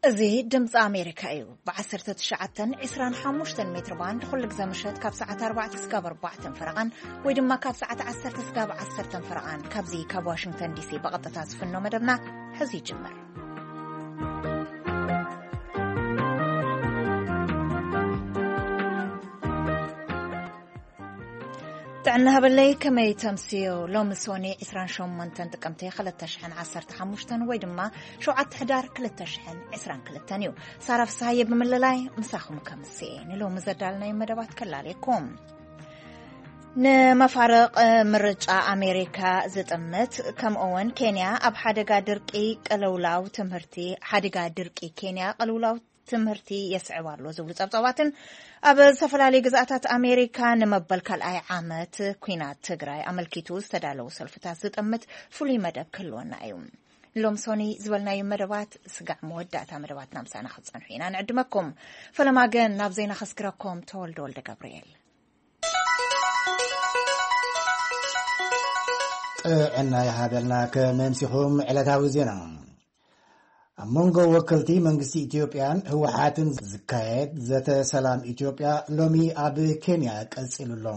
እዚ ድምፂ ኣሜሪካ እዩ። ብ19፣ 25 ሜትር ባንድ ኩሉ ግዜ ምሸት ካብ ሰዓት ኣርባዕተ ስጋብ ኣርባዕተን ፈረቓን፣ ወይ ድማ ካብ ሰዓት ዓሰርተ ስጋብ ዓሰርተን ፈረቓን፣ ካብዚ ካብ ዋሽንግተን ዲሲ ብቐጥታ ዝፍኖ መደብና ሕዚ ይጅምር። ጥዕና ሃበለይ፣ ከመይ ተምስዮ? ሎሚ ሶኒ 28 ጥቅምቲ 2015 ወይ ድማ 7 ሕዳር 2022 እዩ። ሳራ ፍስሃየ ብምልላይ ምሳኹም ከምስኤ ንሎሚ ዘዳልናይ መደባት ከላልየኩም። ንመፋርቕ ምርጫ ኣሜሪካ ዝጥምት፣ ከምኡውን ኬንያ ኣብ ሓደጋ ድርቂ ቅልውላው ትምህርቲ፣ ሓደጋ ድርቂ ኬንያ ቅልውላው ትምህርቲ የስዕብ ኣሎ ዝብሉ ጸብጻባትን ኣብ ዝተፈላለዩ ግዝኣታት ኣሜሪካ ንመበል ካልኣይ ዓመት ኲናት ትግራይ ኣመልኪቱ ዝተዳለዉ ሰልፍታት ዝጥምት ፍሉይ መደብ ክህልወና እዩ። ሎም ሶኒ ዝበልናዩ መደባት ስጋዕ መወዳእታ መደባትና ምሳና ክትጸንሑ ኢና ንዕድመኩም። ፈለማ ግን ናብ ዜና ከስግረኩም ተወልደ ወልደ ገብርኤል። ጥዕና ይሃበልና። ከመምሲኹም ዕለታዊ ዜና። ኣብ መንጎ ወከልቲ መንግስቲ ኢትዮጵያን ህወሓትን ዝካየድ ዘተ ሰላም ኢትዮጵያ ሎሚ ኣብ ኬንያ ቀጺሉ ኣሎ።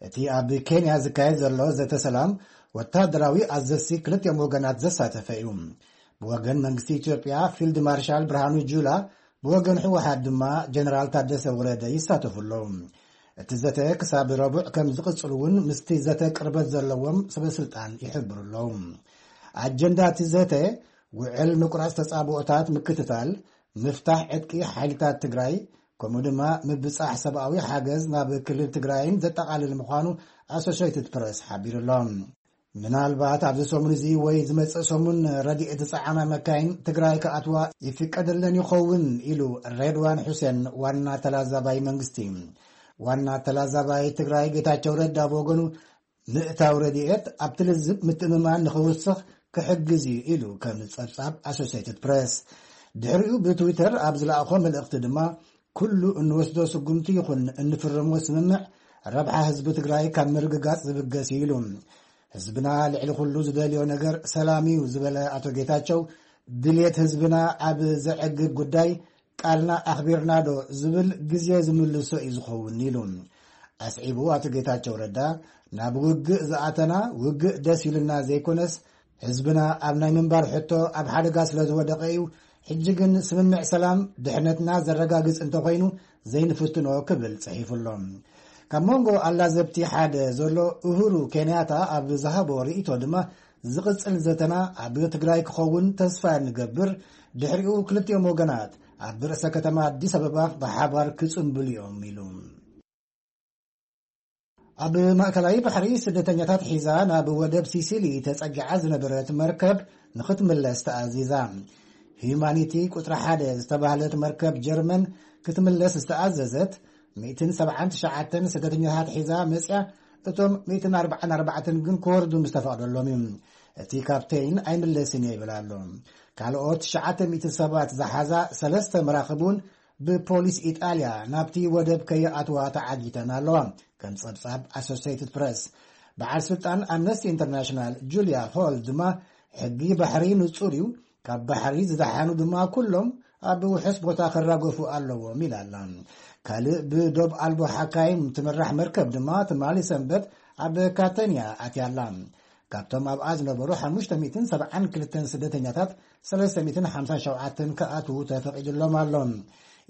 እቲ ኣብ ኬንያ ዝካየድ ዘሎ ዘተ ሰላም ወታደራዊ ኣዘዝቲ ክልቲኦም ወገናት ዘሳተፈ እዩ። ብወገን መንግስቲ ኢትዮጵያ ፊልድ ማርሻል ብርሃኑ ጁላ፣ ብወገን ህወሓት ድማ ጀነራል ታደሰ ወረደ ይሳተፉ ኣለዉ። እቲ ዘተ ክሳብ ረቡዕ ከም ዝቕጽል እውን ምስቲ ዘተ ቅርበት ዘለዎም ሰበስልጣን ይሕብሩ ኣለዉ። ኣጀንዳ እቲ ዘተ ውዕል ምቁራጽ ተጻብኦታት ምክትታል፣ ምፍታሕ ዕጥቂ ሓይልታት ትግራይ፣ ከምኡ ድማ ምብጻሕ ሰብኣዊ ሓገዝ ናብ ክልል ትግራይን ዘጠቓልል ምዃኑ ኣሶሼትድ ፕረስ ሓቢሩ ኣሎ። ምናልባት ኣብዚ ሰሙን እዚ ወይ ዝመጽእ ሰሙን ረድኤት ዝጸዓና መካይን ትግራይ ክኣትዋ ይፍቀደለን ይኸውን ኢሉ ሬድዋን ሑሴን፣ ዋና ተላዛባይ መንግስቲ። ዋና ተላዛባይ ትግራይ ጌታቸው ረዳ ብወገኑ፣ ምእታው ረድኤት ኣብቲ ልዝብ ምትእምማን ንኽውስኽ ክሕግዝ እዩ ኢሉ ከም ጸብጻብ ኣሶሴይትድ ፕሬስ። ድሕሪኡ ብትዊተር ኣብ ዝለኣኾ መልእኽቲ ድማ፣ ኩሉ እንወስዶ ስጉምቲ ይኹን እንፍርሞ ስምምዕ ረብሓ ህዝቢ ትግራይ ካብ ምርግጋጽ ዝብገስ እዩ ኢሉ። ህዝብና ልዕሊ ኩሉ ዝደልዮ ነገር ሰላም እዩ ዝበለ ኣቶ ጌታቸው፣ ድልየት ህዝብና ኣብ ዘዕግብ ጉዳይ ቃልና ኣኽቢርና ዶ ዝብል ግዜ ዝምልሶ እዩ ዝኸውን ኢሉ። ኣስዒቡ ኣቶ ጌታቸው ረዳ፣ ናብ ውግእ ዝኣተና ውግእ ደስ ኢሉና ዘይኮነስ፣ ህዝብና ኣብ ናይ ምንባር ሕቶ ኣብ ሓደጋ ስለ ዝወደቐ እዩ። ሕጂ ግን ስምምዕ ሰላም ድሕነትና ዘረጋግጽ እንተኾይኑ ዘይንፍትኖ ክብል ጽሒፉ ኣሎ። ካብ መንጎ ኣላዘብቲ ሓደ ዘሎ ኡሁሩ ኬንያታ ኣብ ዝሃቦ ርእይቶ ድማ፣ ዝቕጽል ዘተና ኣብ ትግራይ ክኸውን ተስፋ ንገብር፣ ድሕሪኡ ክልቲኦም ወገናት ኣብ ርእሰ ከተማ ኣዲስ ኣበባ ብሓባር ክጽንብሉ እዮም ኢሉ። ኣብ ማእከላይ ባሕሪ ስደተኛታት ሒዛ ናብ ወደብ ሲሲሊ ተጸጊዓ ዝነበረት መርከብ ንኽትምለስ ተኣዚዛ። ሂዩማኒቲ ቁጽሪ ሓደ ዝተባህለት መርከብ ጀርመን ክትምለስ ዝተኣዘዘት፣ 179 ስደተኛታት ሒዛ መጽያ፣ እቶም 144 ግን ክወርዱ ምስ ተፈቕደሎም እዩ። እቲ ካፕቴን ኣይምለስን እየ ይብል ኣሎ። ካልኦት 900 ሰባት ዝሓዛ ሰለስተ መራኽብ እውን ብፖሊስ ኢጣልያ ናብቲ ወደብ ከይኣትዋ ተዓጊተን ኣለዋ፣ ከም ጸብጻብ ኣሶሲየትድ ፕረስ። በዓል ስልጣን ኣምነስቲ ኢንተርናሽናል ጁልያ ሆል ድማ፣ ሕጊ ባሕሪ ንጹር እዩ፣ ካብ ባሕሪ ዝደሓኑ ድማ ኩሎም ኣብ ውሑስ ቦታ ክራገፉ ኣለዎም ኢላ ኣላ። ካልእ ብዶብ ኣልቦ ሓካይም ትምራሕ መርከብ ድማ ትማሊ ሰንበት ኣብ ካተንያ ኣትያ ኣላ። ካብቶም ኣብኣ ዝነበሩ 572 ስደተኛታት 357 ክኣትዉ ተፈቒድሎም ኣሎ።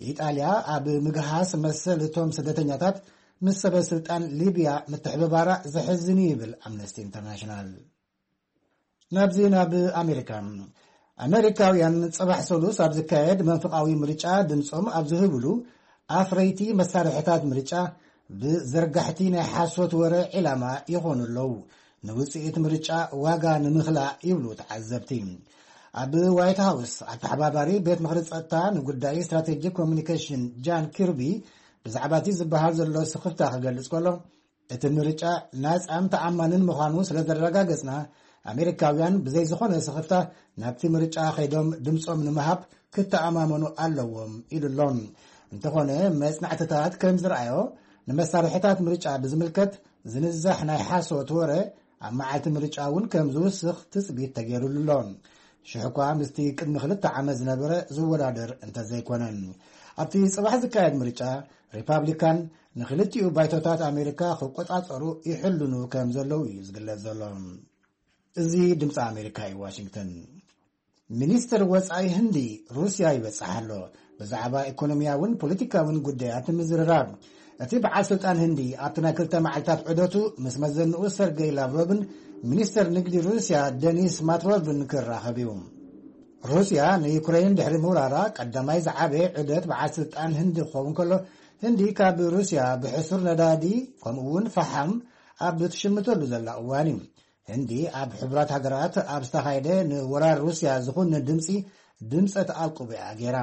ኢጣልያ ኣብ ምግሃስ መሰል እቶም ስደተኛታት ምስ ሰበ ስልጣን ሊብያ ምትሕብባራ ዘሕዝን እዩ ይብል ኣምነስቲ ኢንተርናሽናል። ናብዚ ናብ ኣሜሪካ። ኣሜሪካውያን ጽባሕ ሰሉስ ኣብ ዝካየድ መንፍቓዊ ምርጫ ድምጾም ኣብ ዝህብሉ፣ ኣፍረይቲ መሳርሕታት ምርጫ ብዘርጋሕቲ ናይ ሓሶት ወረ ዒላማ ይኾኑ ኣለዉ። ንውጽኢት ምርጫ ዋጋ ንምኽላእ ይብሉ ተዓዘብቲ። ኣብ ዋይት ሃውስ ኣተሓባባሪ ቤት ምኽሪ ጸጥታ ንጉዳይ ስትራቴጂክ ኮሚኒኬሽን ጃን ኪርቢ ብዛዕባ እቲ ዝበሃል ዘሎ ስኽፍታ ክገልጽ ከሎ፣ እቲ ምርጫ ናጻን ተኣማንን ምዃኑ ስለ ዘረጋገጽና፣ ኣሜሪካውያን ብዘይ ዝኾነ ስኽፍታ ናብቲ ምርጫ ከይዶም ድምጾም ንምሃብ ክተኣማመኑ ኣለዎም ኢሉ ኣሎ። እንተኾነ፣ መጽናዕትታት ከም ዝረኣዮ፣ ንመሳርሕታት ምርጫ ብዝምልከት ዝንዛሕ ናይ ሓሶት ወረ ኣብ መዓልቲ ምርጫ እውን ከም ዝውስኽ ትጽቢት ተገይሩሉ ኣሎ። ሽሕ እኳ ምስቲ ቅድሚ ክልተ ዓመት ዝነበረ ዝወዳደር እንተዘይኮነ። ኣብቲ ጽባሕ ዝካየድ ምርጫ፣ ሪፓብሊካን ንክልቲኡ ባይቶታት ኣሜሪካ ክቆጻጸሩ ይሕልኑ ከም ዘለዉ እዩ ዝግለጽ ዘሎ። እዚ ድምፂ ኣሜሪካ እዩ፣ ዋሽንግተን። ሚኒስትር ወፃኢ ህንዲ ሩስያ ይበፅሕ ኣሎ። ብዛዕባ ኢኮኖሚያውን ፖለቲካውን ጉዳያት ምዝርራብ። እቲ በዓል ስልጣን ህንዲ ኣብቲ ናይ ክልተ መዓልታት ዑደቱ ምስ መዘንኡ ሰርገይ ላቭሮቭን ሚኒስትር ንግዲ ሩስያ ደኒስ ማትሮቭን ክራኸብ እዩ። ሩስያ ንዩክሬን ድሕሪ ምውራራ ቀዳማይ ዝዓበየ ዑደት በዓል ስልጣን ህንዲ ክኸውን ከሎ፣ ህንዲ ካብ ሩስያ ብሕሱር ነዳዲ ከምኡ እውን ፈሓም ኣብ ትሽምተሉ ዘላ እዋን እዩ። ህንዲ ኣብ ሕቡራት ሃገራት ኣብ ዝተኻየደ ንወራር ሩስያ ዝኹን ድምፂ ድምፀ ተኣቅቦ እያ ገይራ።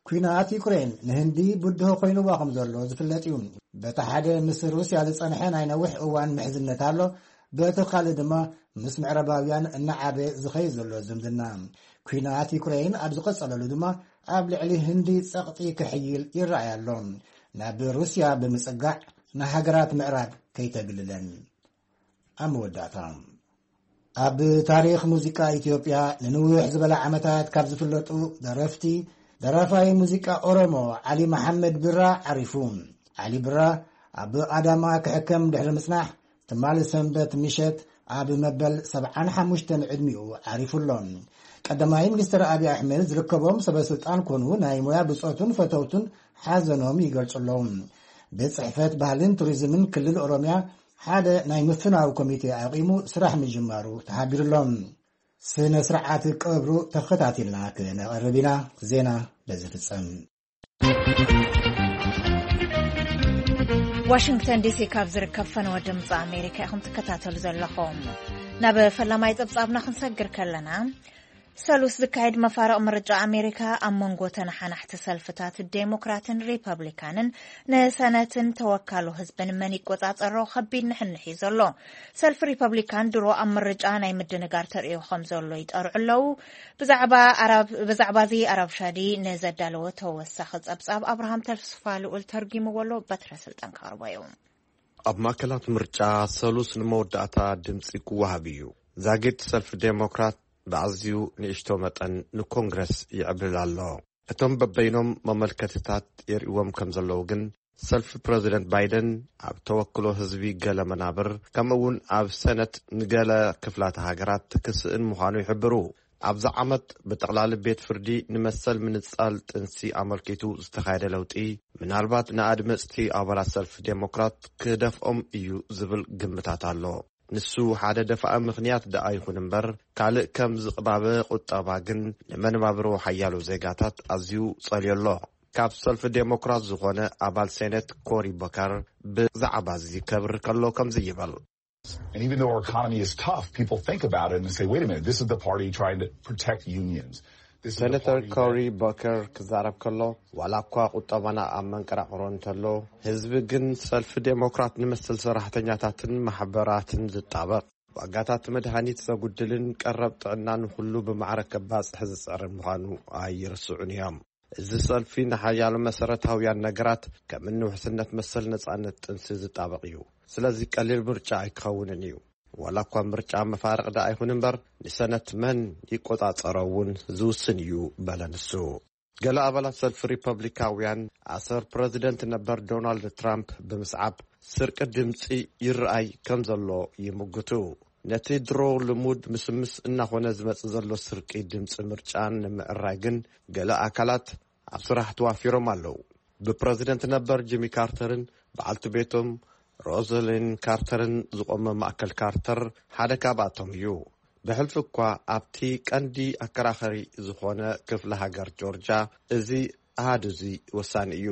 ኲናት ዩክሬን ንህንዲ ብድሆ ኮይንዋ ከም ዘሎ ዝፍለጥ እዩ። በቲ ሓደ ምስ ሩስያ ዝፀንሐ ናይ ነዊሕ እዋን ምሕዝነት ኣሎ፣ በቲ ካልእ ድማ ምስ ምዕራባውያን እናዓበ ዝኸይድ ዘሎ ዝምድና። ኲናት ዩክሬን ኣብ ዝቐጸለሉ ድማ ኣብ ልዕሊ ህንዲ ጸቕጢ ክሕይል ይረኣይ ኣሎ። ናብ ሩስያ ብምጽጋዕ ንሃገራት ምዕራብ ከይተግልለን። ኣብ መወዳእታ፣ ኣብ ታሪኽ ሙዚቃ ኢትዮጵያ ንንውሕ ዝበለ ዓመታት ካብ ዝፍለጡ ደረፍቲ፣ ደራፋይ ሙዚቃ ኦሮሞ ዓሊ መሓመድ ብራ ዓሪፉ። ዓሊ ብራ ኣብ ኣዳማ ክሕከም ድሕሪ ምጽናሕ፣ ትማሊ ሰንበት ምሸት ኣብ መበል ሰብዓን ሓሙሽተን ዕድሚኡ ዓሪፉ ኣሎ። ቀዳማይ ሚኒስትር ኣብይ ኣሕመድ ዝርከቦም ሰበ ስልጣን ኮኑ ናይ ሞያ ብጾቱን ፈተውቱን ሓዘኖም ይገልጹ ኣለዉ። ቤት ጽሕፈት ባህልን ቱሪዝምን ክልል ኦሮምያ ሓደ ናይ ምፍናው ኮሚቴ ኣቂሙ ስራሕ ምጅማሩ ተሓቢሩ ኣሎ። ስነ ስርዓት ቀብሩ ተኸታቲልና ክነቕርብ ኢና። ዜና በዚ ፍጸም። ዋሽንግተን ዲሲ ካብ ዝርከብ ፈነወ ድምፂ ኣሜሪካ ኢኹም ትከታተሉ ዘለኹም። ናብ ፈላማይ ጸብጻብና ክንሰግር ከለና፣ ሰሉስ ዝካየድ መፋርቕ ምርጫ ኣሜሪካ ኣብ መንጎ ተነሓናሕቲ ሰልፍታት ዴሞክራትን ሪፐብሊካንን ንሰነትን ተወካሉ ህዝብን መን ይቆጻጸሮ ከቢድ ንሕንሕ እዩ ዘሎ። ሰልፊ ሪፐብሊካን ድሮ ኣብ ምርጫ ናይ ምድንጋር ተርእዮ ከም ዘሎ ይጠርዑ ኣለዉ። ብዛዕባ ኣራብ-፣ ብዛዕባ እዚ ኣራብ ሻዲ ንዘዳለወ ተወሳኺ ጸብጻብ ኣብርሃም ተስፋ ልኡል ተርጊምዎ ኣሎ። በትረ ስልጣን ክቐርቦ እዩ። ኣብ ማእከላት ምርጫ ሰሉስ ንመወዳእታ ድምጺ ክወሃብ እዩ። ዛጊት ሰልፊ ዴሞክራት ብኣዝዩ ንእሽቶ መጠን ንኮንግረስ ይዕብልል ኣሎ። እቶም በበይኖም መመልከትታት የርእዎም ከም ዘለዉ ግን፣ ሰልፊ ፕረዚደንት ባይደን ኣብ ተወክሎ ህዝቢ ገለ መናብር፣ ከምኡ እውን ኣብ ሰነት ንገለ ክፍላተ ሃገራት ክስእን ምዃኑ ይሕብሩ። ኣብዚ ዓመት ብጠቕላሊ ቤት ፍርዲ ንመሰል ምንጻል ጥንሲ ኣመልኪቱ ዝተኻየደ ለውጢ፣ ምናልባት ንኣድመጽቲ ኣባላት ሰልፊ ዴሞክራት ክደፍኦም እዩ ዝብል ግምታት ኣሎ። ንሱ ሓደ ደፋኢ ምኽንያት ደኣ ይኹን እምበር፣ ካልእ ከም ዝቕባበ ቁጠባ ግን ንመነባብሮ ሓያሎ ዜጋታት ኣዝዩ ጸልዮ ኣሎ። ካብ ሰልፊ ዴሞክራት ዝኾነ ኣባል ሴኔት ኮሪ ቦከር ብዛዕባ እዚ ከብርህ ከሎ ከምዚ ይብል። And even though our economy is tough, people think about it and say, "Wait a minute, this is the party trying to protect unions." This is the ሰነተር party ኮሪ that ቦከር ክዛረብ ከሎ፣ ዋላ እኳ ቁጠባና ኣብ መንቀራቕሮ እንተሎ፣ ህዝቢ ግን ሰልፊ ዴሞክራት ንመሰል ሰራሕተኛታትን ማሕበራትን ዝጣበቕ፣ ዋጋታት መድሃኒት ዘጉድልን ቀረብ ጥዕና ንኹሉ ብማዕረ ከባጽሕ ዝጽዕርን ምዃኑ ኣይርስዑን እዮም። እዚ ሰልፊ ንሓያሎ መሰረታውያን ነገራት ከም እኒ ውሕስነት መሰል ነጻነት ጥንሲ ዝጣበቕ እዩ። ስለዚ ቀሊል ምርጫ ኣይክኸውንን እዩ። ዋላ እኳ ምርጫ መፋርቕ ደኣ ኣይኹን እምበር፣ ንሰነት መን ይቆጻጸሮ እውን ዝውስን እዩ፣ በለ ንሱ። ገለ ኣባላት ሰልፊ ሪፐብሊካውያን ኣሰር ፕረዚደንት ነበር ዶናልድ ትራምፕ ብምስዓብ ስርቂ ድምጺ ይረኣይ ከም ዘሎ ይምግቱ። ነቲ ድሮ ልሙድ ምስምስ እናኾነ ዝመጽእ ዘሎ ስርቂ ድምጺ ምርጫ ንምዕራይ ግን ገለ ኣካላት ኣብ ስራሕ ተዋፊሮም ኣለዉ። ብፕረዚደንት ነበር ጂሚ ካርተርን በዓልቲ ቤቶም ሮዘሊን ካርተርን ዝቖመ ማእከል ካርተር ሓደ ካብኣቶም እዩ። ብሕልፊ እኳ ኣብቲ ቀንዲ ኣከራኸሪ ዝኾነ ክፍለ ሃገር ጆርጅያ እዚ ኣሃዱ እዚ ወሳኒ እዩ።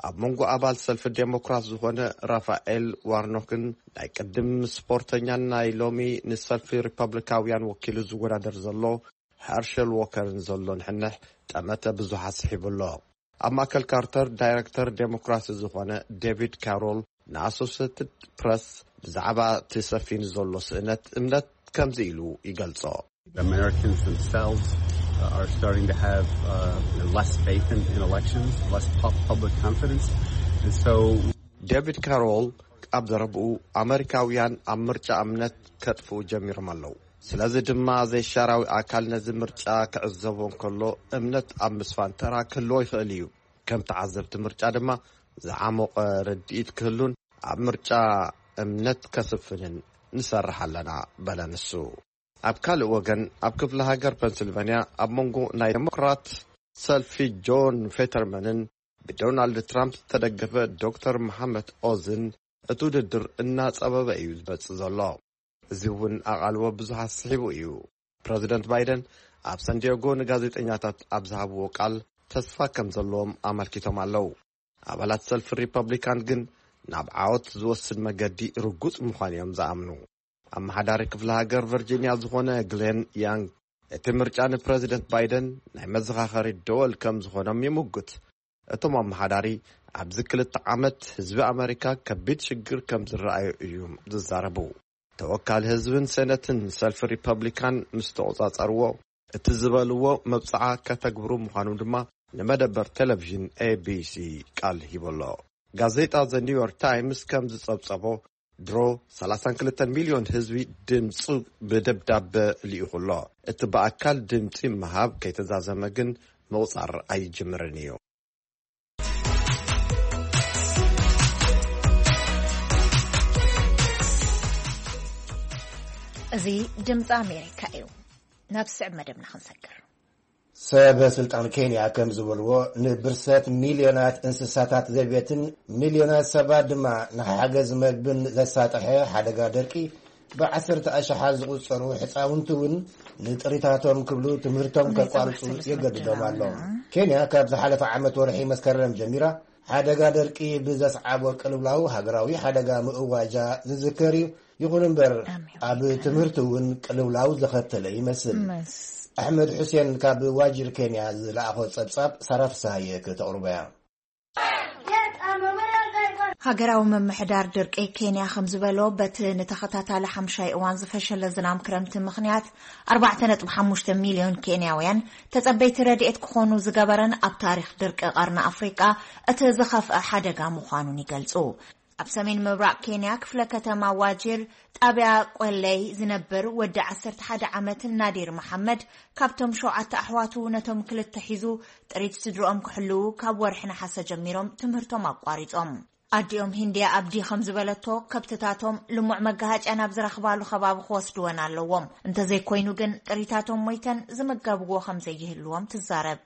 ኣብ መንጎ ኣባል ሰልፊ ዴሞክራት ዝኾነ ራፋኤል ዋርኖክን ናይ ቅድም ስፖርተኛን ናይ ሎሚ ንሰልፊ ሪፐብሊካውያን ወኪሉ ዝወዳደር ዘሎ ሀርሸል ዎከርን ዘሎ ንሕንሕ ጠመተ ብዙሓት ስሒቡ ኣሎ። ኣብ ማእከል ካርተር ዳይረክተር ዴሞክራሲ ዝኾነ ዴቪድ ካሮል ንኣሶሴትድ ፕረስ ብዛዕባ እቲ ሰፊኑ ዘሎ ስእነት እምነት ከምዚ ኢሉ ይገልጾ። Americans themselves, uh, are starting to have, uh, less faith in, in elections, less pu-, public confidence. And so ዴቪድ ካሮል ኣብ ዘረብኡ፣ ኣመሪካውያን ኣብ ምርጫ እምነት ከጥፍኡ ጀሚሮም ኣለዉ። ስለዚ ድማ ዘይሻራዊ ኣካል ነዚ ምርጫ ክዕዘቦ እንከሎ እምነት ኣብ ምስፋን ተራ ክህልዎ ይኽእል እዩ። ከም ተዓዘብቲ ምርጫ ድማ ዝዓሞቐ ርድኢት ክህሉን ኣብ ምርጫ እምነት ከስፍንን ንሰርሕ ኣለና፣ በለ ንሱ። ኣብ ካልእ ወገን፣ ኣብ ክፍለ ሃገር ፐንስልቫንያ ኣብ መንጎ ናይ ዴሞክራት ሰልፊ ጆን ፌተርመንን ብዶናልድ ትራምፕ ዝተደገፈ ዶክተር መሓመድ ኦዝን እቲ ውድድር እናጸበበ እዩ ዝመጽእ ዘሎ። እዚ እውን ኣቓልቦ ብዙሓት ስሒቡ እዩ። ፕረዚደንት ባይደን ኣብ ሳንዲያጎ ንጋዜጠኛታት ኣብ ዝሃብዎ ቃል ተስፋ ከም ዘለዎም ኣመልኪቶም ኣለዉ። ኣባላት ሰልፊ ሪፐብሊካን ግን ናብ ዓወት ዝወስድ መገዲ ርጉጽ ምዃኑ እዮም ዝኣምኑ። ኣመሓዳሪ ክፍለ ሃገር ቨርጂንያ ዝኾነ ግሌን ያንግ እቲ ምርጫ ንፕረዚደንት ባይደን ናይ መዘኻኸሪ ደወል ከም ዝኾኖም ይምጉት። እቶም ኣመሓዳሪ ኣብዚ ክልተ ዓመት ህዝቢ ኣመሪካ ከቢድ ሽግር ከም ዝረኣዩ እዮም ዝዛረቡ። ተወካሊ ህዝብን ሴነትን ሰልፊ ሪፐብሊካን ምስ ተቖጻጸርዎ፣ እቲ ዝበልዎ መብጽዓ ከተግብሩ ምዃኑ ድማ ንመደበር ቴሌቪዥን ኤ ቢ ሲ ቃል ሂቡ ኣሎ። ጋዜጣ ዘ ኒውዮርክ ታይምስ ከም ዝጸብጸቦ፣ ድሮ ሰላሳን ክልተን ሚልዮን ህዝቢ ድምጹ ብደብዳበ ልኢኹ ኣሎ። እቲ ብኣካል ድምጺ ምሃብ ከይተዛዘመ ግን ምቑጻር ኣይጅምርን እዩ። እዚ ድምፂ ኣሜሪካ እዩ። ናብ ስዕብ መደብና ክንሰግር። ሰበ ስልጣን ኬንያ ከም ዝበልዎ፣ ንብርሰት ሚልዮናት እንስሳታት ዘቤትን ሚልዮናት ሰባት ድማ ንሓገዝ መግብን ዘሳጠሐ ሓደጋ ደርቂ፣ ብዓሰርተ ኣሽሓት ዝቑጸሩ ሕፃውንቲ እውን ንጥሪታቶም ክብሉ ትምህርቶም ከቋርጹ የገድዶም ኣሎ። ኬንያ ካብ ዝሓለፈ ዓመት ወርሒ መስከረም ጀሚራ ሓደጋ ደርቂ ብዘስዓቦ ቅልውላው ሃገራዊ ሓደጋ ምእዋጃ ዝዝከር እዩ። ይኹን እምበር፣ ኣብ ትምህርቲ እውን ቅልውላው ዘኸተለ ይመስል። ኣሕመድ ሑሴን ካብ ዋጅር ኬንያ ዝለኣኾ ጸብጻብ ሳራ ፍስሃየ ክተቕርቦ እያ። ሃገራዊ ምምሕዳር ድርቂ ኬንያ ከም ዝበሎ፣ በቲ ንተኸታታሊ ሓምሻይ እዋን ዝፈሸለ ዝናም ክረምቲ ምኽንያት፣ ኣርባዕተ ነጥቢ ሓሙሽተ ሚልዮን ኬንያውያን ተጸበይቲ ረድኤት ክኾኑ ዝገበረን ኣብ ታሪኽ ድርቂ ቀርኒ ኣፍሪቃ እቲ ዝኸፍአ ሓደጋ ምዃኑን ይገልጹ። ኣብ ሰሜን ምብራቕ ኬንያ ክፍለ ከተማ ዋጂር ጣብያ ቆለይ ዝነብር ወዲ ዓሰርተ ሓደ ዓመት ናዲር መሓመድ ካብቶም ሸውዓተ ኣሕዋቱ ነቶም ክልተ ሒዙ ጥሪት ስድርኦም ክሕልዉ ካብ ወርሒ ነሓሰ ጀሚሮም ትምህርቶም ኣቋሪጾም። ኣዲኦም ሂንድያ ኣብዲ ከም ዝበለቶ፣ ከብትታቶም ልሙዕ መጋሃጭያ ናብ ዝረኽባሉ ከባቢ ክወስድወን ኣለዎም። እንተዘይኮይኑ ግን ጥሪታቶም ሞይተን ዝምገብዎ ከም ዘይህልዎም ትዛረብ።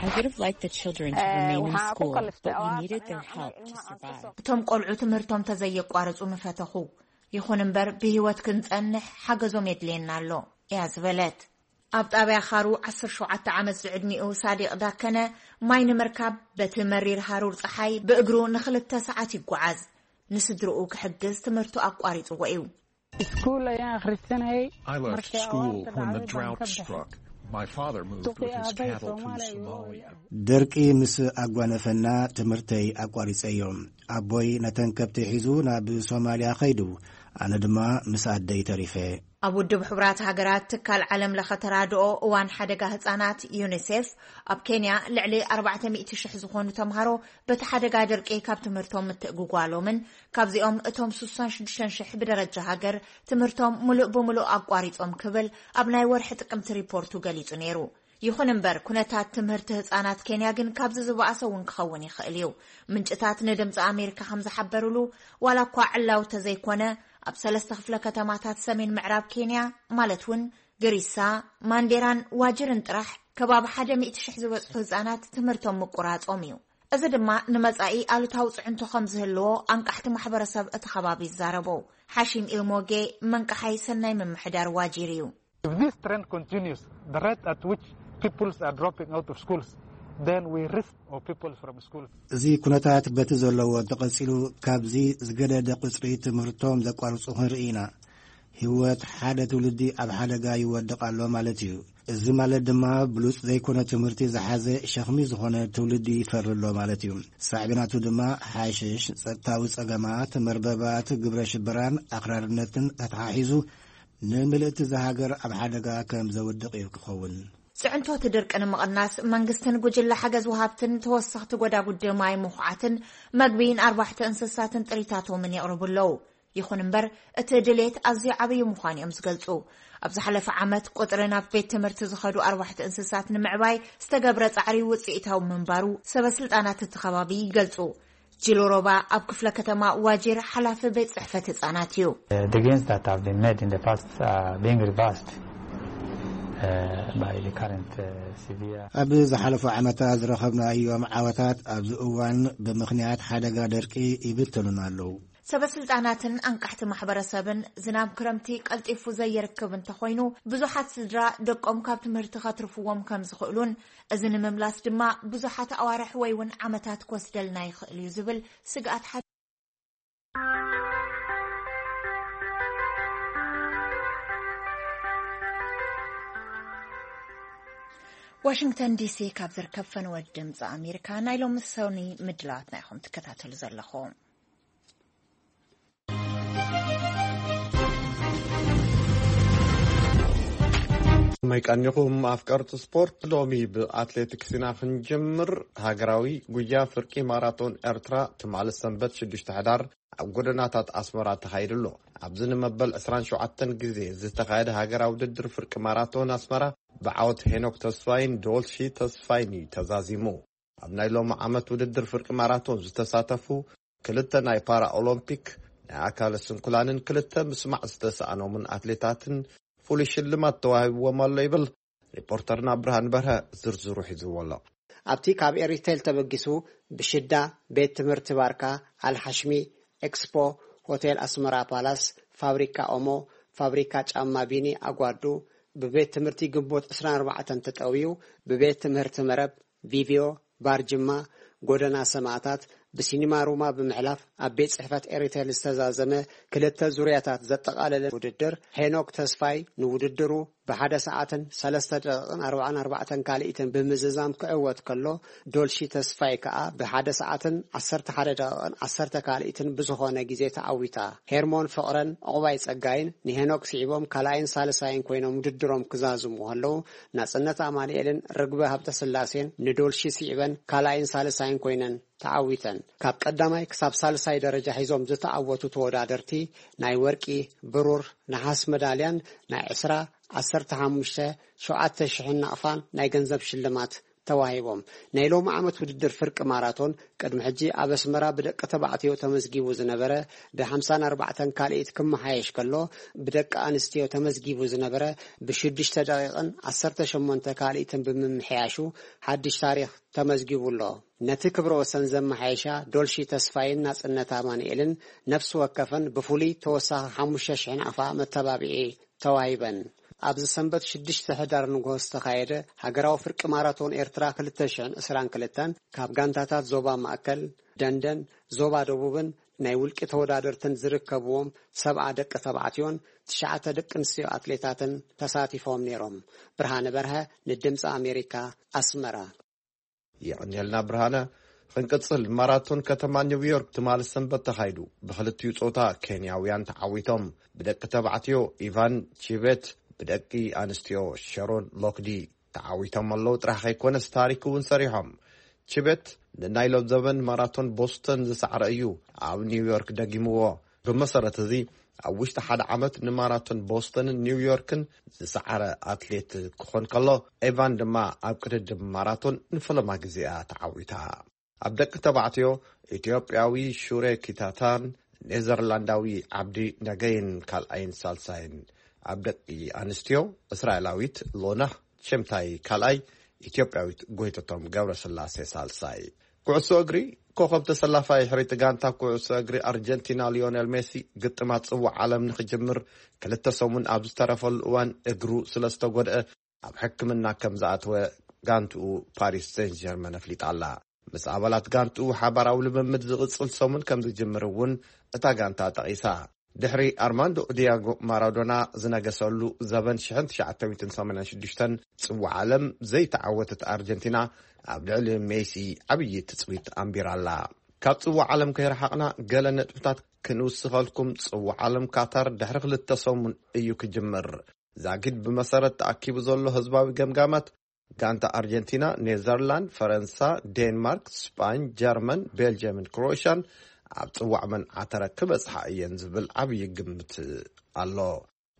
I would have liked the children to remain in school, but we needed their help to survive. እቶም ቆልዑ ትምህርቶም ተዘየቋርጹ ምፈተኹ። ይኹን እምበር ብህይወት ክንጸንሕ ሓገዞም የድልየና ኣሎ፣ እያ ዝበለት። ኣብ ጣብያ ኻሩ ዓሰርተ ሸውዓተ ዓመት ዝዕድሚኡ ሳዲቕ ዳከነ፣ ማይ ንምርካብ በቲ መሪር ሃሩር ጸሓይ ብእግሩ ንኽልተ ሰዓት ይጓዓዝ። ንስድርኡ ክሕግዝ ትምህርቱ ኣቋሪጽዎ እዩ። I left school when the drought struck. My father moved with his cattle to Somalia. ደርቂ ምስ ኣጓነፈና ትምህርተይ ኣቋሪጸዮ። ኣቦይ ነተን ከብቲ ሒዙ ናብ ሶማልያ ኸይዱ፣ ኣነ ድማ ምስ ኣደይ ተሪፈ። ኣብ ውድብ ሕቡራት ሃገራት ትካል ዓለም ለኸ ተራድኦ እዋን ሓደጋ ህጻናት ዩኒሴፍ፣ ኣብ ኬንያ ልዕሊ ኣርባዕተ ሚእቲ ሽሕ ዝኾኑ ተምሃሮ በቲ ሓደጋ ደርቂ ካብ ትምህርቶም ምትእጉጓሎምን ካብዚኦም እቶም ስሳን ሽዱሽተን ሽሕ ብደረጃ ሃገር ትምህርቶም ሙሉእ ብሙሉእ ኣቋሪጾም ክብል ኣብ ናይ ወርሒ ጥቅምቲ ሪፖርቱ ገሊጹ ነይሩ። ይኹን እምበር፣ ኩነታት ትምህርቲ ህጻናት ኬንያ ግን ካብዚ ዝበኣሰ እውን ክኸውን ይኽእል እዩ። ምንጭታት ንድምፂ ኣሜሪካ ከም ዝሓበሩሉ፣ ዋላ እኳ ዕላው ተዘይኮነ፣ ኣብ ሰለስተ ክፍለ ከተማታት ሰሜን ምዕራብ ኬንያ፣ ማለት እውን ግሪሳ፣ ማንዴራን ዋጅርን ጥራሕ ከባቢ ሓደ ሚእቲ ሽሕ ዝበጽሑ ህጻናት ትምህርቶም ምቁራጾም እዩ። እዚ ድማ ንመጻኢ ኣሉታዊ ጽዕንቶ ከም ዝህልዎ ኣንቃሕቲ ማሕበረሰብ እቲ ከባቢ ይዛረቡ። ሓሺም ኢልሞጌ መንቀሓይ ሰናይ ምምሕዳር ዋጂር እዩ። If this trend continues, the rate at which pupils are dropping out of schools, then we risk our pupils from schools. እዚ ኩነታት በቲ ዘለዎ እንተቐጺሉ፣ ካብዚ ዝገደደ ቁጽሪ ትምህርቶም ዘቋርጹ ክንርኢ ኢና። ህይወት ሓደ ትውልዲ ኣብ ሓደጋ ይወድቕ ኣሎ ማለት እዩ። እዚ ማለት ድማ ብሉጽ ዘይኮነ ትምህርቲ ዝሓዘ ሸኽሚ ዝኾነ ትውልዲ ይፈሪ ኣሎ ማለት እዩ። ሳዕቤናቱ ድማ ሓሽሽ፣ ጸጥታዊ ጸገማት፣ መርበባት ግብረ ሽበራን ኣኽራርነትን ተተሓሒዙ ንምልእቲ እዛ ሃገር ኣብ ሓደጋ ከም ዘውድቕ እዩ ክኸውን። ጽዕንቶ እቲ ድርቂ ንምቕናስ መንግስትን ጉጅለ ሓገዝ ወሃብትን ተወሰኽቲ ጎዳጉዲ ማይ፣ ምኹዓትን መግቢ ንኣርባሕቲ እንስሳትን ጥሪታቶምን የቕርቡ ኣለዉ። ይኹን እምበር፣ እቲ ድሌት ኣዝዩ ዓብዪ ምዃኑ እዮም ዝገልጹ። ኣብ ዝሓለፈ ዓመት፣ ቁጽሪ ናብ ቤት ትምህርቲ ዝኸዱ ኣርባሕቲ እንስሳት ንምዕባይ ዝተገብረ ጻዕሪ ውጽኢታዊ ምንባሩ ሰበ ስልጣናት እቲ ከባቢ ይገልጹ። ጅሎ ሮባ ኣብ ክፍለ ከተማ ዋጂር ሓላፊ ቤት ጽሕፈት ህጻናት እዩ። The gains that have been made in the past are being reversed uh, by the current uh, severe ኣብ ዝሓለፉ ዓመታት ዝረኸብናዮም ዓወታት ኣብዚ እዋን ብምኽንያት ሓደጋ ደርቂ ይብተኑና ኣለዉ። ሰበ ስልጣናትን ኣንቃሕቲ ማሕበረሰብን፣ ዝናብ ክረምቲ ቀልጢፉ ዘይርክብ እንተኾይኑ፣ ብዙሓት ስድራ ደቆም ካብ ትምህርቲ ከትርፍዎም ከም ዝኽእሉን፣ እዚ ንምምላስ ድማ ብዙሓት ኣዋርሕ ወይ እውን ዓመታት ክወስደልና ይኽእል እዩ ዝብል ስግኣት ሓ- ዋሽንግተን ዲሲ ካብ ዝርከብ ፈነወ ድምፂ ኣሜሪካ ናይ ሎሚ ሰኒ ምድላዋትና ኢኹም ትከታተሉ ዘለኹም። መይቀኒኹም ኣፍቀርቲ ስፖርት፣ ሎሚ ብኣትሌቲክስ ኢና ክንጀምር። ሃገራዊ ጉያ ፍርቂ ማራቶን ኤርትራ ትማሊ ሰንበት ሽዱሽተ ሕዳር ኣብ ጎደናታት ኣስመራ ተኻይዱ ኣሎ። ኣብዚ ንመበል ዕስራን ሸውዓተን ግዜ ዝተኻየደ ሃገራዊ ውድድር ፍርቂ ማራቶን ኣስመራ ብዓወት ሄኖክ ተስፋይን ዶልሺ ተስፋይን እዩ ተዛዚሙ። ኣብ ናይ ሎሚ ዓመት ውድድር ፍርቂ ማራቶን ዝተሳተፉ ክልተ ናይ ፓራ ኦሎምፒክ ናይ ኣካለ ስንኩላንን ክልተ ምስማዕ ዝተሰኣኖምን ኣትሌታትን ፍሉይ ሽልማት ተዋሂብዎም ኣሎ ይብል ሪፖርተርና ብርሃን በርሀ። ዝርዝሩ ሒዝዎ ኣሎ። ኣብቲ ካብ ኤሪቴል ተበጊሱ ብሽዳ ቤት ትምህርቲ ባርካ ኣልሓሽሚ፣ ኤክስፖ፣ ሆቴል ኣስመራ ፓላስ፣ ፋብሪካ ኦሞ፣ ፋብሪካ ጫማ ቢኒ ኣጓዱ፣ ብቤት ትምህርቲ ግንቦት ዕስራን ኣርባዕተን ተጠውዩ፣ ብቤት ትምህርቲ መረብ፣ ቪቪዮ፣ ባር ጅማ፣ ጎደና ሰማእታት፣ ብሲኒማ ሩማ ብምሕላፍ ኣብ ቤት ጽሕፈት ኤሪቴል ዝተዛዘመ ክልተ ዙርያታት ዘጠቓለለ ውድድር፣ ሄኖክ ተስፋይ ንውድድሩ ብሓደ ሰዓትን ሰለስተ ደቂቕን ኣርባዓን ኣርባዕተን ካልኢትን ብምዝዛም ክዕወት ከሎ፣ ዶልሺ ተስፋይ ከኣ ብሓደ ሰዓትን ዓሰርተ ሓደ ደቂቕን ዓሰርተ ካልኢትን ብዝኾነ ግዜ ተዓዊታ። ሄርሞን ፍቕረን ዕቑባይ ጸጋይን ንሄኖክ ስዒቦም ካልኣይን ሳልሳይን ኮይኖም ውድድሮም ክዛዝሙ ከለዉ፣ ናጽነት ኣማኑኤልን ርግበ ሃብተስላሴን ንዶልሺ ስዒበን ካልኣይን ሳልሳይን ኮይነን ተዓዊተን። ካብ ቀዳማይ ክሳብ ሳልሳይ ደረጃ ሒዞም ዝተዓወቱ ተወዳደርቲ ናይ ወርቂ፣ ብሩር፣ ነሓስ መዳልያን ናይ ዕስራ፣ ዓሰርተ ሓሙሽተ፣ ሸውዓተ ሽሕን ናቕፋን ናይ ገንዘብ ሽልማት ተዋሂቦም። ናይ ሎሚ ዓመት ውድድር ፍርቂ ማራቶን ቅድሚ ሕጂ ኣብ ኣስመራ ብደቂ ተባዕትዮ ተመዝጊቡ ዝነበረ ብሓምሳን ኣርባዕተን ካልኢት ክመሓየሽ ከሎ፣ ብደቂ ኣንስትዮ ተመዝጊቡ ዝነበረ ብሽዱሽተ ደቂቕን ዓሰርተ ሸሞንተ ካልኢትን ብምምሕያሹ ሓድሽ ታሪኽ ተመዝጊቡ ኣሎ። ነቲ ክብረ ወሰን ዘመሓየሻ ዶልሺ ተስፋይን ናጽነት ኣማኑኤልን ነፍሲ ወከፈን ብፍሉይ ተወሳኺ ሓሙሽተ ሽሕ ናቕፋ መተባብዒ ተዋሂበን። ኣብዚ ሰንበት ሽዱሽተ ሕዳር ንግሆ ዝተኻየደ ሃገራዊ ፍርቂ ማራቶን ኤርትራ ክልተ ሽሕን ዕስራን ክልተን ካብ ጋንታታት ዞባ ማእከል፣ ደንደን፣ ዞባ ደቡብን ናይ ውልቂ ተወዳደርትን ዝርከብዎም ሰብዓ ደቂ ተባዕትዮን ትሽዓተ ደቂ ኣንስትዮ ኣትሌታትን ተሳቲፎም ነይሮም። ብርሃነ በርሀ ንድምፂ ኣሜሪካ ኣስመራ። የቐንየልና ብርሃነ። ክንቅጽል፣ ማራቶን ከተማ ኒውዮርክ ትማሊ ሰንበት ተኻይዱ። ብኽልቲኡ ጾታ ኬንያውያን ተዓዊቶም። ብደቂ ተባዕትዮ ኢቫን ቺቤት፣ ብደቂ ኣንስትዮ ሸሮን ሎክዲ ተዓዊቶም ኣለዉ ጥራሕ ከይኮነስ ታሪክ እውን ሰሪሖም። ቺቤት ንናይ ሎም ዘበን ማራቶን ቦስተን ዝሰዕረ እዩ ኣብ ኒውዮርክ ደጊምዎ። ብመሰረት እዚ ኣብ ውሽጢ ሓደ ዓመት ንማራቶን ቦስተንን ኒውዮርክን ዝሰዓረ ኣትሌት ክኾን ከሎ፣ ኤቫን ድማ ኣብ ቅድድም ማራቶን ንፈለማ ግዜኣ ተዓዊታ። ኣብ ደቂ ተባዕትዮ፣ ኢትዮጵያዊ ሹሬ ኪታታን ኔዘርላንዳዊ ዓብዲ ነገይን ካልኣይን ሳልሳይን፣ ኣብ ደቂ ኣንስትዮ፣ እስራኤላዊት ሎና ሸምታይ ካልኣይ፣ ኢትዮጵያዊት ጎይተቶም ገብረስላሴ ሳልሳይ። ኩዕሶ እግሪ፣ ኮኸብ ተሰላፋይ ሕሪቲ ጋንታ ኩዕሶ እግሪ ኣርጀንቲና ሊዮኔል ሜሲ ግጥማት ጽዋዕ ዓለም ንኽጅምር ክልተ ሰሙን ኣብ ዝተረፈሉ እዋን እግሩ ስለ ዝተጎድአ ኣብ ሕክምና ከም ዝኣተወ ጋንትኡ ፓሪስ ሴን ጀርመን ኣፍሊጣ ኣላ። ምስ ኣባላት ጋንትኡ ሓባራዊ ልምምድ ዝቕጽል ሰሙን ከም ዝጅምር እውን እታ ጋንታ ጠቒሳ። ድሕሪ ኣርማንዶ ዲያጎ ማራዶና ዝነገሰሉ ዘበን ሽሕን ትሽዓተ ሚእትን ሰማንያን ሽዱሽተን ጽዋዕ ዓለም ዘይተዓወተት ኣርጀንቲና ኣብ ልዕሊ ሜሲ ዓብዪ ትጽቢት ኣንቢራ ኣላ። ካብ ጽዋዕ ዓለም ከይረሓቕና ገለ ነጥብታት ክንውስኸልኩም። ጽዋዕ ዓለም ካታር ድሕሪ ክልተ ሰሙን እዩ ክጅምር። ዛጊድ ብመሰረት ተኣኪቡ ዘሎ ህዝባዊ ገምጋማት፣ ጋንታ ኣርጀንቲና፣ ኔዘርላንድ፣ ፈረንሳ፣ ዴንማርክ፣ ስጳኝ፣ ጀርመን፣ ቤልጅየምን ክሮኤሽያን ኣብ ጽዋዕ መን ዓተረ ክበጽሓ እየን ዝብል ዓብዪ ግምት ኣሎ።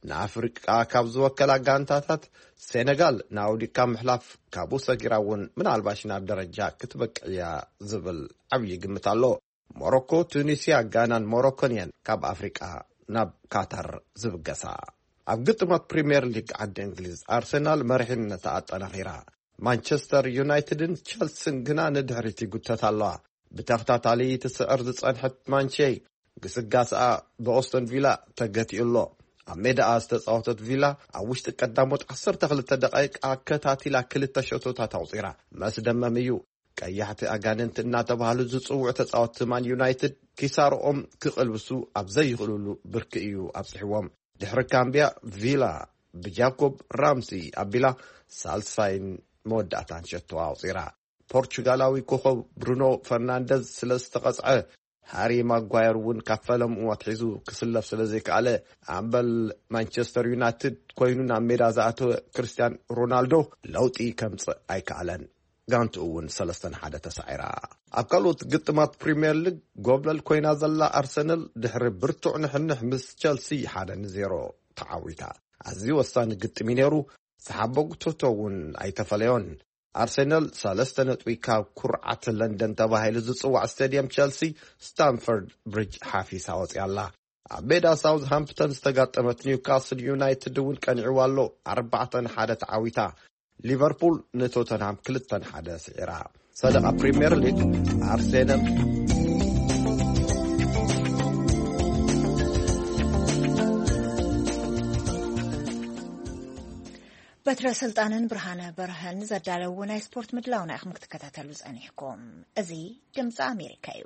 ንኣፍሪቃ ካብ ዝወከላ ጋንታታት ሴነጋል ንኣውዲካ ምሕላፍ ካብኡ ሰጊራ እውን ምናልባሽ ናብ ደረጃ ክትበቅዕ እያ ዝብል ዓብዪ ግምት ኣሎ። ሞሮኮ፣ ቱኒስያ፣ ጋናን ሞሮኮን እየን ካብ ኣፍሪቃ ናብ ካታር ዝብገሳ። ኣብ ግጥማት ፕሪምየር ሊግ ዓዲ እንግሊዝ ኣርሰናል መሪሕነታ ኣጠናኺራ። ማንቸስተር ዩናይትድን ቸልሲን ግና ንድሕሪት ይጉተት ኣለዋ። ብተኸታታሊ ትስዕር ዝጸንሐት ማንቼ ግስጋስኣ ብኦስቶን ቪላ ተገቲኡ ኣሎ። ኣብ ሜዳኣ ዝተጻወተት ቪላ ኣብ ውሽጢ ቀዳሞት ዓሰርተ ክልተ ደቃይቅ ኣከታቲላ ክልተ ሸቶታት ኣውጺራ። መስደመም እዩ። ቀያሕቲ ኣጋንንቲ እናተባህሉ ዝጽውዑ ተጻወትቲ ማን ዩናይትድ ኪሳርኦም ክቕልብሱ ኣብ ዘይኽእሉሉ ብርኪ እዩ ኣብጽሕዎም። ድሕሪ ካምቢያ፣ ቪላ ብጃኮብ ራምሲ ኣቢላ ሳልሳይን መወዳእታን ሸቶ ኣውጺራ። ፖርቹጋላዊ ኮኸብ ብሩኖ ፈርናንደዝ ስለ ዝተቐጽዐ፣ ሃሪ ማጓየር እውን ካብ ፈለምኡ ኣትሒዙ ክስለፍ ስለ ዘይከኣለ፣ ኣምበል ማንቸስተር ዩናይትድ ኮይኑ ናብ ሜዳ ዝኣተወ ክርስቲያን ሮናልዶ ለውጢ ከምጽእ ኣይከኣለን። ጋንትኡ እውን ሰለስተ ንሓደ ተሳዒራ። ኣብ ካልኦት ግጥማት ፕሪምየር ሊግ ጎብለል ኮይና ዘላ ኣርሰናል ድሕሪ ብርቱዕ ንሕንሕ ምስ ቸልሲ ሓደ ንዜሮ ተዓዊታ። ኣዝዩ ወሳኒ ግጥም እዩ ነይሩ። ዝሓበጉ ቶቶ እውን ኣይተፈለዮን። ኣርሰናል ሰለስተ ነጥቢ ካብ ኩርዓት ለንደን ተባሂሉ ዝጽዋዕ ስቴድየም ቸልሲ ስታምፈርድ ብሪጅ ሓፊሳ ወጽያ ኣላ። ኣብ ሜዳ ሳውዝሃምፕተን ዝተጋጠመት ኒውካስል ዩናይትድ እውን ቀኒዕዋ ኣሎ። ኣርባዕተ ንሓደ ተዓዊታ። ሊቨርፑል ንቶተንሃም ክልተ ንሓደ ስዒራ። ሰደቓ ፕሪምየር ሊግ ኣርሴናል። በትረ ስልጣንን ብርሃነ በርሀን ዘዳለዉ ናይ ስፖርት ምድላውና ኢኹም ክትከታተሉ ጸኒሕኩም። እዚ ድምፂ ኣሜሪካ እዩ።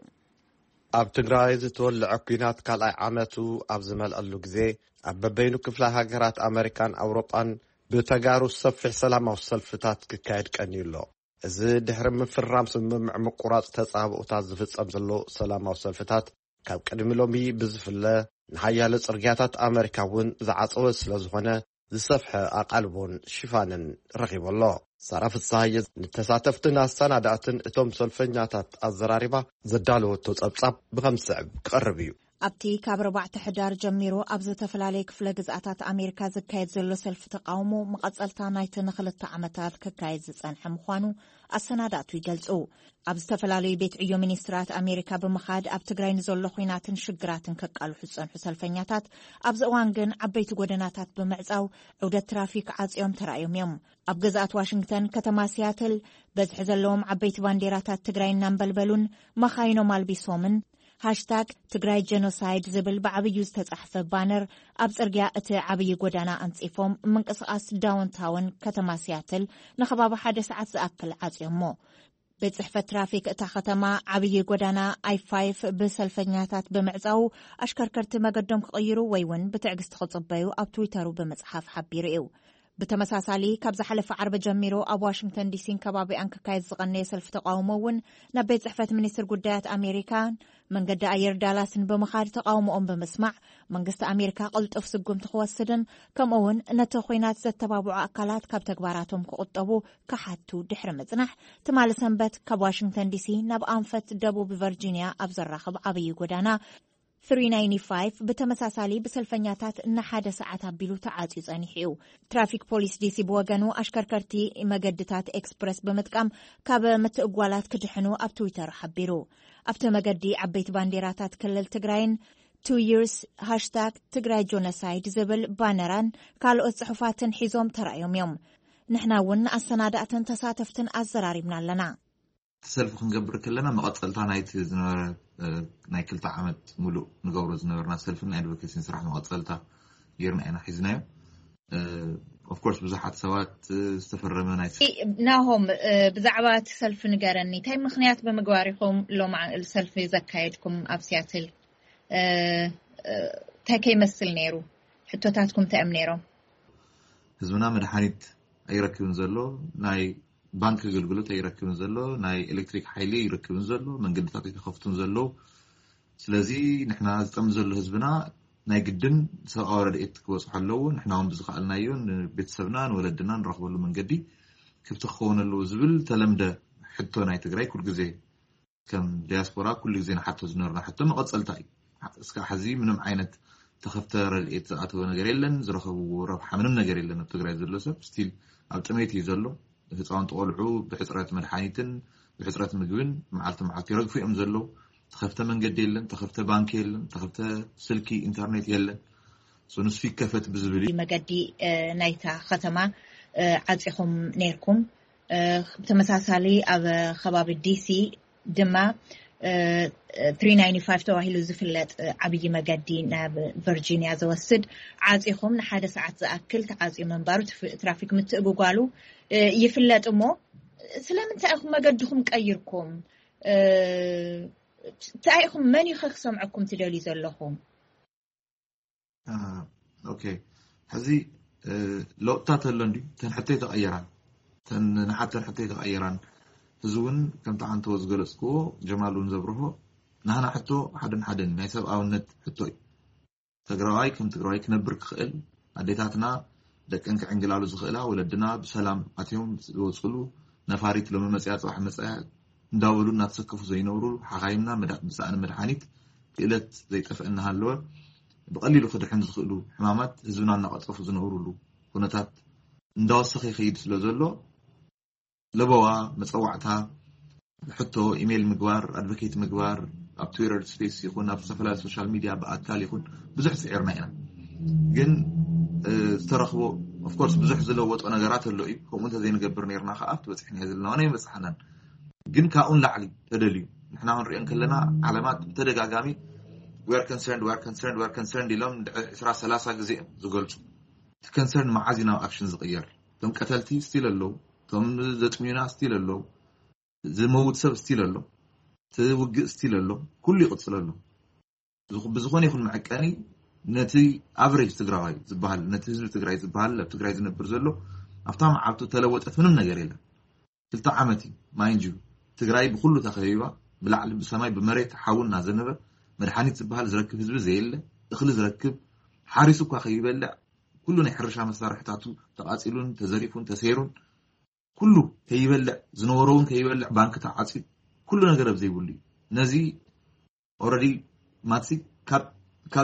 ኣብ ትግራይ ዝተወልዐ ኲናት ካልኣይ ዓመቱ ኣብ ዝመልአሉ ግዜ፣ ኣብ በበይኑ ክፍለ ሃገራት ኣመሪካን ኣውሮጳን ብተጋሩ ሰፊሕ ሰላማዊ ሰልፍታት ክካየድ ቀንዩ ኣሎ። እዚ ድሕሪ ምፍራም ስምምዕ ምቁራጽ ተጻብኦታት ዝፍጸም ዘሎ ሰላማዊ ሰልፍታት፣ ካብ ቅድሚ ሎሚ ብዝፍለ ንሓያሎ ጽርግያታት ኣመሪካ እውን ዝዓጸወ ስለ ዝኾነ፣ ዝሰፍሐ ኣቓልቦን ሽፋንን ረኺቡ ኣሎ። ሳራ ፍስሃየ ንተሳተፍትን ኣሰናዳእትን እቶም ሰልፈኛታት ኣዘራሪባ ዘዳለወቶ ጸብጻብ ብኸም ዝስዕብ ክቐርብ እዩ። ኣብቲ ካብ ኣርባዕተ ሕዳር ጀሚሩ ኣብ ዝተፈላለየ ክፍለ ግዝኣታት ኣሜሪካ ዝካየድ ዘሎ ሰልፊ ተቓውሞ፣ መቐጸልታ ናይቲ ንኽልተ ዓመታት ክካየድ ዝጸንሐ ምዃኑ ኣሰናዳእቱ ይገልጹ። ኣብ ዝተፈላለዩ ቤት ዕዮ ሚኒስትራት ኣሜሪካ ብምኻድ ኣብ ትግራይ ንዘሎ ኹናትን ሽግራትን ከቃልሑ ዝጸንሑ ሰልፈኛታት፣ ኣብዚ እዋን ግን ዓበይቲ ጎደናታት ብምዕጻው ዑደት ትራፊክ ዓጽዮም ተራእዮም እዮም። ኣብ ግዝኣት ዋሽንግተን ከተማ ሲያትል፣ በዝሒ ዘለዎም ዓበይቲ ባንዴራታት ትግራይ እናንበልበሉን መኻይኖም ኣልቢሶምን፣ ሃሽታግ ትግራይ ጀኖሳይድ ዝብል ብዓብዩ ዝተጻሕፈ ባነር ኣብ ጽርግያ እቲ ዓብዪ ጎዳና ኣንጺፎም፣ ምንቅስቓስ ዳውንታውን ከተማ ሲያትል ንኸባቢ ሓደ ሰዓት ዝኣክል ዓጽዮሞ። ቤት ጽሕፈት ትራፊክ እታ ከተማ ዓብዪ ጎዳና ኣይ ፋይፍ ብሰልፈኛታት ብምዕጻው፣ ኣሽከርከርቲ መገዶም ክቕይሩ ወይ እውን ብትዕግስቲ ክጽበዩ ኣብ ትዊተሩ ብምጽሓፍ ሓቢሩ እዩ። ብተመሳሳሊ፣ ካብ ዝሓለፈ ዓርቢ ጀሚሩ ኣብ ዋሽንግተን ዲሲን ከባቢኣን ክካየድ ዝቐነየ ሰልፊ ተቓውሞ እውን ናብ ቤት ጽሕፈት ሚኒስትር ጉዳያት ኣሜሪካን መንገዲ ኣየር ዳላስን ብምኻድ ተቓውሞኦም ብምስማዕ፣ መንግስቲ ኣሜሪካ ቅልጡፍ ስጉምቲ ክወስድን ከምኡ እውን ነቲ ኹናት ዘተባብዑ ኣካላት ካብ ተግባራቶም ክቑጠቡ ክሓቱ ድሕሪ ምጽናሕ፣ ትማሊ ሰንበት ካብ ዋሽንግተን ዲሲ ናብ ኣንፈት ደቡብ ቨርጂንያ ኣብ ዘራኽብ ዓብዪ ጎዳና፣ ትሪ ናይንቲ ፋይቭ ብተመሳሳሊ ብሰልፈኛታት ንሓደ ሰዓት ኣቢሉ ተዓጽዩ ጸኒሑ እዩ። ትራፊክ ፖሊስ ዲሲ ብወገኑ፣ ኣሽከርከርቲ መገድታት ኤክስፕረስ ብምጥቃም ካብ ምትእጓላት ክድሕኑ ኣብ ትዊተር ሓቢሩ። ኣብቲ መገዲ ዓበይቲ ባንዴራታት ክልል ትግራይን ቱ ይርስ ሃሽታግ ትግራይ ጆኖሳይድ ዝብል ባነራን ካልኦት ጽሑፋትን ሒዞም ተራእዮም እዮም። ንሕና እውን ንኣሰናዳእትን ተሳተፍትን ኣዘራሪብና ኣለና። እቲ ሰልፊ ክንገብር ከለና፣ መቐጸልታ ናይቲ ዝነበረ፣ እ፣ ናይ ክልተ ዓመት ሙሉእ ንገብሮ ዝነበርና ሰልፍን ናይ ኣድቮኬሲን ስራሕ መቐጸልታ ጌርና ኢና ሒዝናዮ። ኦፍኮርስ፣ ብዙሓት ሰባት፣ እ፣ ዝተፈረመ ናይ ናሆም፣ እ፣ ብዛዕባ እቲ ሰልፊ ንገረኒ። እንታይ ምኽንያት ብምግባር ኢኹም ሎማዓል ሰልፊ ዘካየድኩም ኣብ ሲያትል? እ፣ እ፣ እንታይ ከይመስል ነይሩ? ሕቶታትኩም እንታይ እዮም ነይሮም? ህዝብና መድሓኒት ኣይረክብን ዘሎ፣ ናይ ባንክ ኣገልግሎት ኣይረክብን ዘሎ፣ ናይ ኤሌክትሪክ ሓይሊ ኣይረክብን ዘሎ፣ መንገድታት ኣይተኸፍቱን ዘለዉ። ስለዚ ንሕና ዝጠሚ ዘሎ ህዝብና ናይ ግድን ሰብኣዊ ረድኤት ክበፅሖ ኣለዎ። ንሕና እውን ብዝኸኣልናዮ ንቤተሰብና ንወለድና ንረኽበሉ መንገዲ ክፍቲ ክኸውን ኣለዎ ዝብል ተለምደ ሕቶ ናይ ትግራይ ኩሉ ግዜ ከም ዲያስፖራ ኩሉ ግዜ ንሓቶ ዝነበርና ሕቶ መቐጸልታ እዩ። እስካብ ሕዚ ምንም ዓይነት ተኸፍተ ረድኤት ዝኣተወ ነገር የለን፣ ዝረኸብዎ ረብሓ ምንም ነገር የለን። ኣብ ትግራይ ዘሎ ሰብ ስቲል ኣብ ጥሜት እዩ ዘሎ። ህፃውንቲ ቆልዑ ብሕፅረት መድሓኒትን ብሕፅረት ምግብን መዓልቲ መዓልቲ ይረግፉ እዮም ዘለዉ። ተኸፍተ መንገዲ የለን፣ ተኸፍተ ባንኪ የለን፣ ተኸፍተ ስልኪ ኢንተርኔት የለን። ንሱ ይከፈት ብዝብል እዩ። መገዲ ናይታ ከተማ ዓፂኹም ነይርኩም። ብተመሳሳሊ ኣብ ከባቢ ዲሲ ድማ ትሪ ናይንቲ ፋይቭ ተባሂሉ ዝፍለጥ ዓብዪ መገዲ ናብ ቨርጂኒያ ዘወስድ ዓፂኹም ንሓደ ሰዓት ዝኣክል ተዓፅዩ ምንባሩ ትራፊክ ምትእጉጓሉ ይፍለጥ። እሞ ስለምንታይ ኢኹም መገድኹም ቀይርኩም? እንታይ ኢኹም፣ መን እዩ ክሰምዐኩም ትደልዩ ዘለኹም? ኦኬ፣ ሕዚ ለውጥታት ኣሎ እንዲ ተን ሕቶይ ተቐየራን ተን ንሓተን ሕቶይ ተቐየራን። እዚ እውን ከምቲ ዓንተዎ ዝገለፅክዎ፣ ጀማል እውን ዘብርሆ፣ ናህና ሕቶ ሓደን ሓደን ናይ ሰብኣውነት ሕቶ እዩ። ትግራዋይ ከም ትግራዋይ ክነብር ክኽእል፣ ኣዴታትና ደቀን ክዕንግላሉ ዝኽእላ፣ ወለድና ብሰላም ኣትዮም ዝወፅሉ፣ ነፋሪት ሎሚ መፅያ ፅባሕ መፅያ እንዳበሉ እናተሰከፉ ዘይነብሩ፣ ሓኻይምና መዳ- ብሰኣን መድሓኒት ክእለት ዘይጠፍአ እናሃለወ ብቐሊሉ ክድሕን ዝኽእሉ ሕማማት ህዝብና እናቐፀፉ ዝነብሩሉ ኩነታት እንዳወሰኸ ይኸይድ ስለ ዘሎ፣ ለበዋ፣ መፀዋዕታ፣ ሕቶ፣ ኢሜይል ምግባር፣ ኣድቮኬት ምግባር፣ ኣብ ትዊተር ስፔስ ይኹን ኣብ ዝተፈላለዩ ሶሻል ሚድያ ብኣካል ይኹን ብዙሕ ፅዒርና ኢና። ግን ዝተረኽቦ ኦፍኮርስ ብዙሕ ዝለወጦ ነገራት ኣሎ እዩ። ከምኡ እንተዘይንገብር ነርና ከዓ ኣብቲ በፂሕና ዘለና ዋና ይበፅሓናን። ግን ካብኡን ላዕሊ ተደልዩ ንሕና ክንሪኦ እንከለና ዓለማት ብተደጋጋሚ we are concerned we are concerned we are concerned ኢሎም ዕስራ ሰላሳ ግዜ እዮም ዝገልፁ። እቲ ከንሰርን መዓዝ እዩ ናብ ኣክሽን ዝቕየር? እቶም ቀተልቲ ስቲል ኣለዉ፣ እቶም ዘጥምዩና ስቲል ኣለዉ፣ ዝመውት ሰብ ስቲል ኣሎ፣ እቲ ውግእ ስቲል ኣሎ፣ ኩሉ ይቕፅል ኣሎ። ብዝኾነ ይኹን መዐቀኒ ነቲ ኣቨሬጅ ትግራዋይ ዝበሃል ነቲ ህዝቢ ትግራይ ዝበሃል ኣብ ትግራይ ዝነብር ዘሎ ኣብታ መዓልቱ ተለወጠት ምንም ነገር የለን። ክልተ ዓመት እዩ ማይንድ ዩ። ትግራይ ብኩሉ ተኸቢባ፣ ብላዕሊ ብሰማይ ብመሬት ሓዊ እናዘነበ፣ መድሓኒት ዝበሃል ዝረክብ ህዝቢ ዘየለ፣ እኽሊ ዝረክብ፣ ሓሪሱ እኳ ከይበልዕ ኩሉ ናይ ሕርሻ መሳርሕታቱ ተቓፂሉን ተዘሪፉን ተሰይሩን፣ ኩሉ ከይበልዕ ዝነበሮ እውን ከይበልዕ፣ ባንክ ተዓፅዩ፣ ኩሉ ነገር ኣብ ዘይብሉ እዩ። ነዚ ኦረዲ ማትሲ ካብ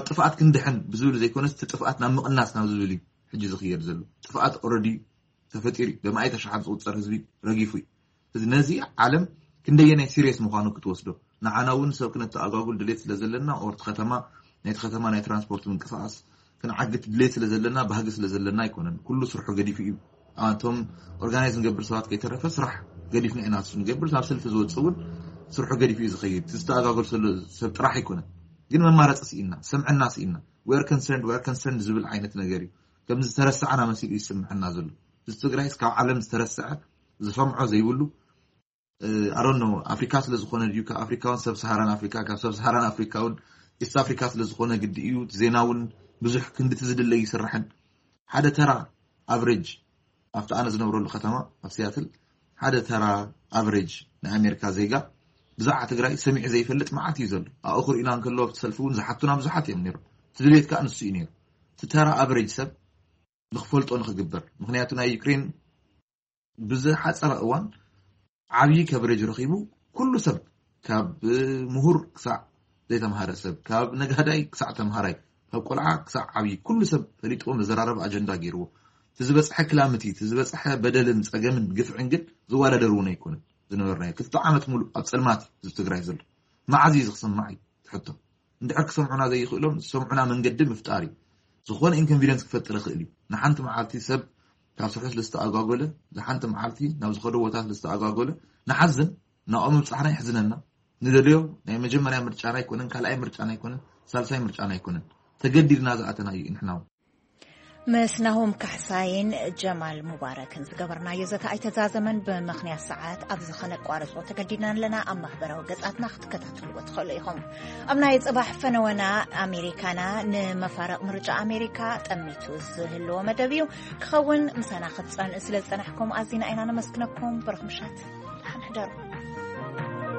ጥፍኣት ክንድሕን ብዝብል ዘይኮነስ እቲ ጥፍኣት ናብ ምቕናስ ናብ ዝብል እዩ ሕጂ ዝኽየድ ዘሎ። ጥፍኣት ኦረዲ ተፈጢሩ እዩ። በማእይ ተሽሓት ዝቑፀር ህዝቢ ረጊፉ እዩ። እዚ ነዚ ዓለም ክንደየናይ ሲሪየስ ምዃኑ ክትወስዶ፣ ንዓና እውን ሰብ ክነተኣጓጉል ድሌት ስለ ዘለና ኦርቲ ከተማ ናይቲ ከተማ ናይ ትራንስፖርት ምንቅስቃስ ክንዓግት ድሌት ስለ ዘለና ባህጊ ስለ ዘለና ኣይኮነን። ኩሉ ስርሑ ገዲፉ እዩ። ኣቶም ኦርጋናይዝ ንገብር ሰባት ከይተረፈ ስራሕ ገዲፍና ኢና ንሱ ንገብር ናብ ሰልፊ ዝወፅእ እውን ስርሑ ገዲፉ እዩ ዝኸይድ። ዝተኣጋገል ዘሎ ሰብ ጥራሕ ኣይኮነን። ግን መማረፂ ስኢና፣ ሰምዕና ስኢና፣ we are concerned we are concerned ዝብል ዓይነት ነገር እዩ። ከም ዝተረሳዕና መሲሉ እዩ ዝስምዐና ዘሎ። እዚ ትግራይስ ካብ ዓለም ዝተረስዐ ዝሰምዖ ዘይብሉ ኣሮኖ ኣፍሪካ ስለ ዝኾነ ድዩ ካብ ኣፍሪካ እውን ሰብ ሰሃራን ኣፍሪካ ካብ ሰብ ሰሃራን ኣፍሪካ እውን ኢስት ኣፍሪካ ስለ ዝኾነ ግዲ እዩ። ዜና እውን ብዙሕ ክንድቲ ዝድለ ይስራሕን ሓደ ተራ ኣቨሬጅ ኣብቲ ኣነ ዝነብረሉ ከተማ ኣብ ሲያትል ሓደ ተራ ኣቨሬጅ ናይ ኣሜሪካ ዜጋ ብዛዕባ ትግራይ ሰሚዑ ዘይፈልጥ መዓት እዩ ዘሎ። ኣብኡ ክርእዩና እንከለዉ ኣብቲ ሰልፊ እውን ዝሓቱና ብዙሓት እዮም ነይሮም። እቲ ድሌት ከዓ ንሱ እዩ ነይሩ። እቲ ተራ ኣቨሬጅ ሰብ ንክፈልጦ ንክግበር ምክንያቱ ናይ ዩክሬን ብዝሓፀረ እዋን ዓብዪ ከብሬጅ ረኺቡ ኩሉ ሰብ ካብ ምሁር ክሳዕ ዘይተምሃረ ሰብ ካብ ነጋዳይ ክሳዕ ተምሃራይ ካብ ቆልዓ ክሳዕ ዓብዪ ኩሉ ሰብ ፈሊጥዎ መዘራረቢ ኣጀንዳ ገይርዎ። እቲ ዝበፅሐ ክላምቲ እቲ ዝበፅሐ በደልን ፀገምን ግፍዕን ግን ዝወዳደር እውን ኣይኮነን። ዝነበርናዮ ክልተ ዓመት ሙሉእ ኣብ ፀልማት ህዝቢ ትግራይ ዘሎ መዓዝ እዩ ዝክስማዕ እዩ ትሕቶ። እንድሕር ክሰምዑና ዘይኽእሎም ዝሰምዑና መንገዲ ምፍጣር እዩ። ዝኾነ ኢንኮንቪደንስ ክፈጥር ይኽእል እዩ። ንሓንቲ መዓልቲ ሰብ ካብ ስርሑ ስለ ዝተኣጓጎለ ንሓንቲ መዓልቲ ናብ ዝኸዶ ቦታ ስለ ዝተኣጓጎለ ንሓዝን ናብኡ ምብፃሕና ይሕዝነና። ንደልዮ ናይ መጀመርያ ምርጫና ኣይኮነን ካልኣይ ምርጫና ኣይኮነን ሳልሳይ ምርጫና ኣይኮነን። ተገዲድና ዝኣተና እዩ ንሕና እውን። ምስ ናሆም ካሕሳይን ጀማል ሙባረክን ዝገበርናዮ ዘተ ኣይተዛዘመን። ብምኽንያት ሰዓት ኣብዚ ኸነቋርጾ ተገዲድና ኣለና። ኣብ ማሕበራዊ ገጻትና ክትከታተልዎ ትኽእሉ ኢኹም። ኣብ ናይ ጽባሕ ፈነወና ኣሜሪካና ንመፋረቕ ምርጫ ኣሜሪካ ጠሚቱ ዝህልዎ መደብ እዩ ክኸውን። ምሳና ክትጸን ስለ ዝጸናሕኩም ኣዚና ኢና ነመስግነኩም። በረኽ ምሻት ደሓን ሕደሩ።